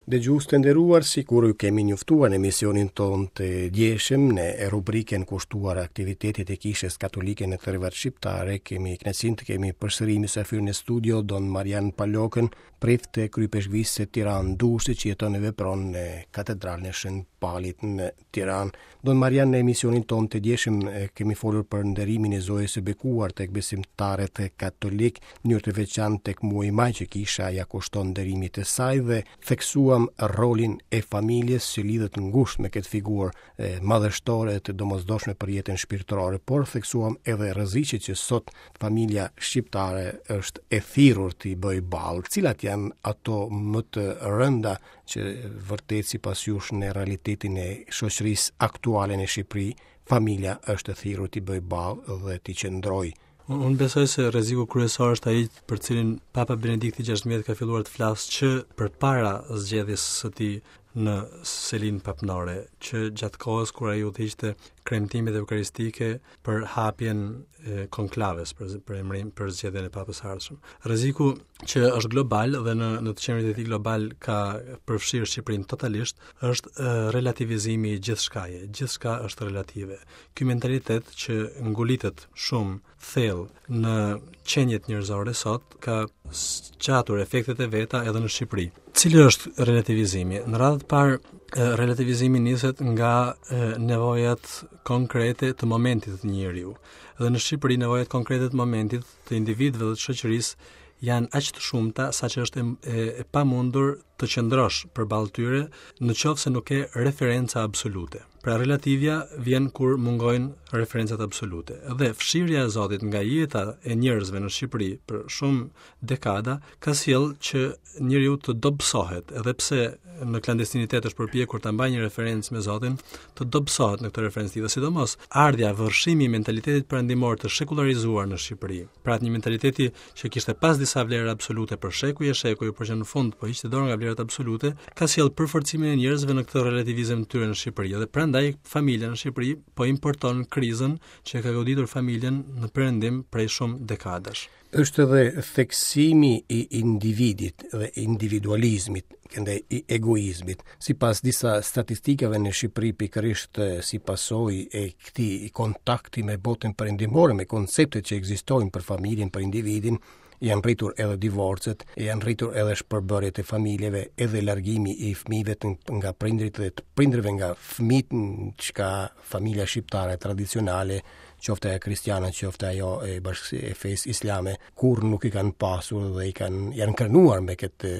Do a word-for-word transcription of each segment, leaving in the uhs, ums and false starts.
Dëgjues të nderuar, sikur ju kemi njoftuar në emisionin tonë të djeshëm në rubrikën kushtuar aktivitetit e Kishës Katolike në trevat shqiptare, kemi kënaqësinë të kemi përsëri mysafir në studio Don Marian Palokën, prift të Kryeipeshkvisë së Tiranë Durrësit që jeton e vepron në Katedralën e Shën Palit në Tiranë. Don Marian, në emisionin tonë të djeshëm kemi folur për nderimin e Zojës së Bekuar tek besimtarët katolik, në mënyrë të veçantë tek muaji maj që kisha ja kushton nderimit të saj dhe theksuam rolin e familjes që lidhet ngushtë me këtë figurë madhështore të domosdoshme për jetën shpirtërore, por theksuam edhe rreziqet që sot familja shqiptare është e thirrur t'i bëjë ballë. Cilat janë ato më të rënda që vërtet sipas jush në realitetin e shoqërisë aktuale në Shqipëri, familja është e thirrur t'i bëjë ballë dhe t'i qëndrojë? Unë besoj se rreziku kryesor është ai për cilin Papa Benedikti gjashtëmbëdhjetë ka filluar të flasë që përpara zgjedhjes së tij në selinë papnore, që gjatë kohës kur ai udhëhiqte kremtimet eukaristike për hapjen e konklaves, për, për emrin, për zgjedhjen e papës së ardhshëm. Rreziku që është global dhe në në të qenit e tij global ka përfshirë Shqipërinë totalisht, është relativizimi i gjithçkaje. Gjithçka është relative. Ky mentalitet që ngulitet shumë thellë në qeniet njerëzore sot ka zgjatur efektet e veta edhe në Shqipëri. Cili është relativizimi? Në radhë të parë, relativizimi niset nga nevojat konkrete të momentit të njeriu. Dhe në Shqipëri nevojat konkrete të momentit të individëve dhe të shoqërisë janë aq të shumta saqë është e, e, e pamundur të qëndrosh përballë tyre në qoftë se nuk ke referenca absolute. Pra relativja vjen kur mungojnë referencat absolute. Dhe fshirja e Zotit nga jeta e njerëzve në Shqipëri për shumë dekada ka sjellë që njeriu të dobësohet, edhe pse në klandestinitet është përpjekur ta mbajë një referencë me Zotin, të dobësohet në këtë referencë dhe sidomos ardhja, vërshimi i mentalitetit perëndimor të shekullarizuar në Shqipëri. Pra një mentaliteti që kishte pas disa vlera absolute për shekuj e shekuj, por që në fund po hiqte dorë nga vlerat absolute, ka sjellë përforcimin e njerëzve në këtë relativizëm të tyre në Shqipëri. Dhe prandaj familja në Shqipëri po importon krizën që ka goditur familjen në perëndim prej shumë dekadash. Është edhe theksimi i individit dhe individualizmit, këndej i egoizmit. Sipas disa statistikave në Shqipëri, pikërisht si pasojë e këtij kontakti me botën perëndimore, me konceptet që ekzistojnë për familjen, për individin, janë rritur edhe divorcet, janë rritur edhe shpërbërjet e familjeve, edhe largimi i fëmijëve nga prindrit dhe të prindërve nga fëmijët, çka familja shqiptare tradicionale, qoftë ajo kristiane, qoftë ajo e bashkësisë e fesë islame, kur nuk i kanë pasur dhe i kanë janë krenuar me këtë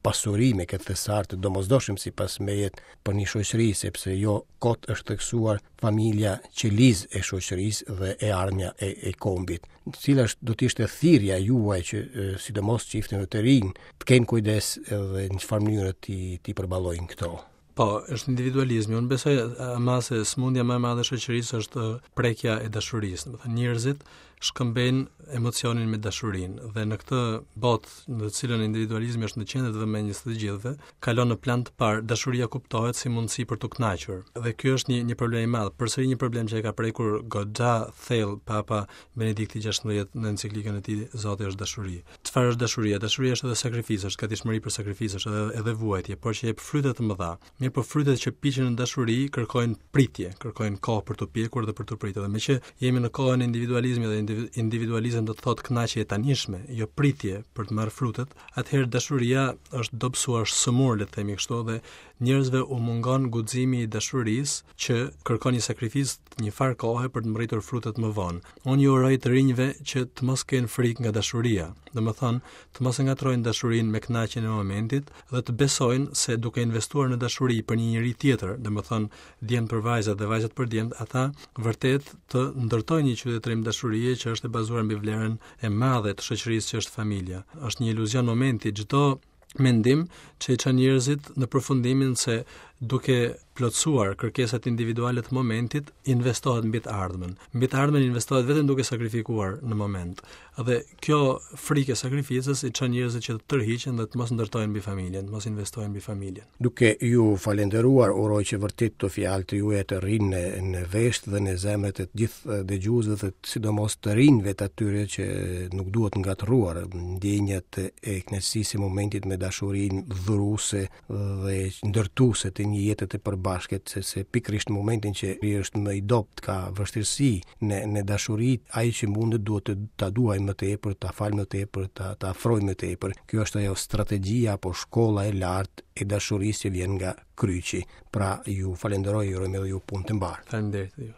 pasuri, me këtë thesar të domosdoshëm sipas meje për një shoqëri, sepse jo kot është theksuar familja qelizë e shoqërisë dhe e ardhmja e, e kombit. Cila është do të ishte thirrja juaj që sidomos çifteve të rinj të kenë kujdes edhe në çfarë mënyre ti ti përballojnë këto? Po, është individualizmi. Unë besoj ama se sëmundja më e madhe e shoqërisë është prekja e dashurisë. Do të thënë, njerëzit shkëmbejnë emocionin me dashurinë dhe në këtë botë në të cilën individualizmi është në qendër të vëmendjes të gjithëve, kalon në plan të parë, dashuria kuptohet si mundësi për t'u kënaqur. Dhe ky është një një problem i madh, përsëri një problem që e ka prekur goxha thellë Papa Benedikti gjashtëmbëdhjetë në enciklikën e tij Zoti është dashuri. Çfarë është dashuria? Dashuria është edhe sakrificë, është gatishmëri për sakrificë, është edhe edhe vuajtje, por që jep fryte të mëdha. Mirë, po frytet që piqen në dashuri kërkojnë pritje, kërkojnë kohë për t'u pjekur dhe për t'u pritur. Dhe meqë jemi në kohën e individualizmit dhe individualizëm do të thotë kënaqje e tanishme, jo pritje për të marrë frutet, atëherë dashuria është dobësuar, është sëmur, le të themi kështu, dhe njerëzve u mungon guximi i dashurisë që kërkon një sakrificë një farë kohe për të mbërritur frutet më vonë. Unë ju uroj të rinjve që të mos kenë frikë nga dashuria, domethënë të mos e ngatrojnë dashurinë me kënaqjen e momentit dhe të besojnë se duke investuar në dashuri për një njeri tjetër, domethënë djemt për vajzat dhe vajzat për djemt, ata vërtet të ndërtojnë një qytetërim dashurie që është e bazuar mbi vlerën e madhe të shoqërisë që është familja. Është një iluzion momenti, çdo mendim që i çon njerëzit në përfundimin se duke plotësuar kërkesat individuale të momentit, investohet mbi të ardhmen. Mbi të ardhmen investohet vetëm duke sakrifikuar në moment. Dhe kjo frikë e sakrificës i çon njerëzit që të tërhiqen dhe të mos ndërtojnë mbi familjen, të mos investojnë mbi familjen. Duke ju falenderuar, uroj që vërtet këto fjalë të juaja të rrinë në, në vesht dhe në zemrat e të gjithë dëgjuesve dhe sidomos të rinjve të atyre që nuk duhet ngatërruar ndjenjat e kënaqësisë së momentit me dashurinë dhuruese dhe ndërtuese të një jete të përbashkët, sepse pikërisht në momentin që i është më i dobët, ka vështirësi në në dashuri, ai që mundet duhet të ta duaj më tepër, ta fal më tepër, ta ta afroj më tepër. Kjo është ajo strategjia apo shkolla e lartë e dashurisë që vjen nga kryqi. Pra ju falenderoj, ju uroj edhe ju punë të mbarë. Faleminderit ju.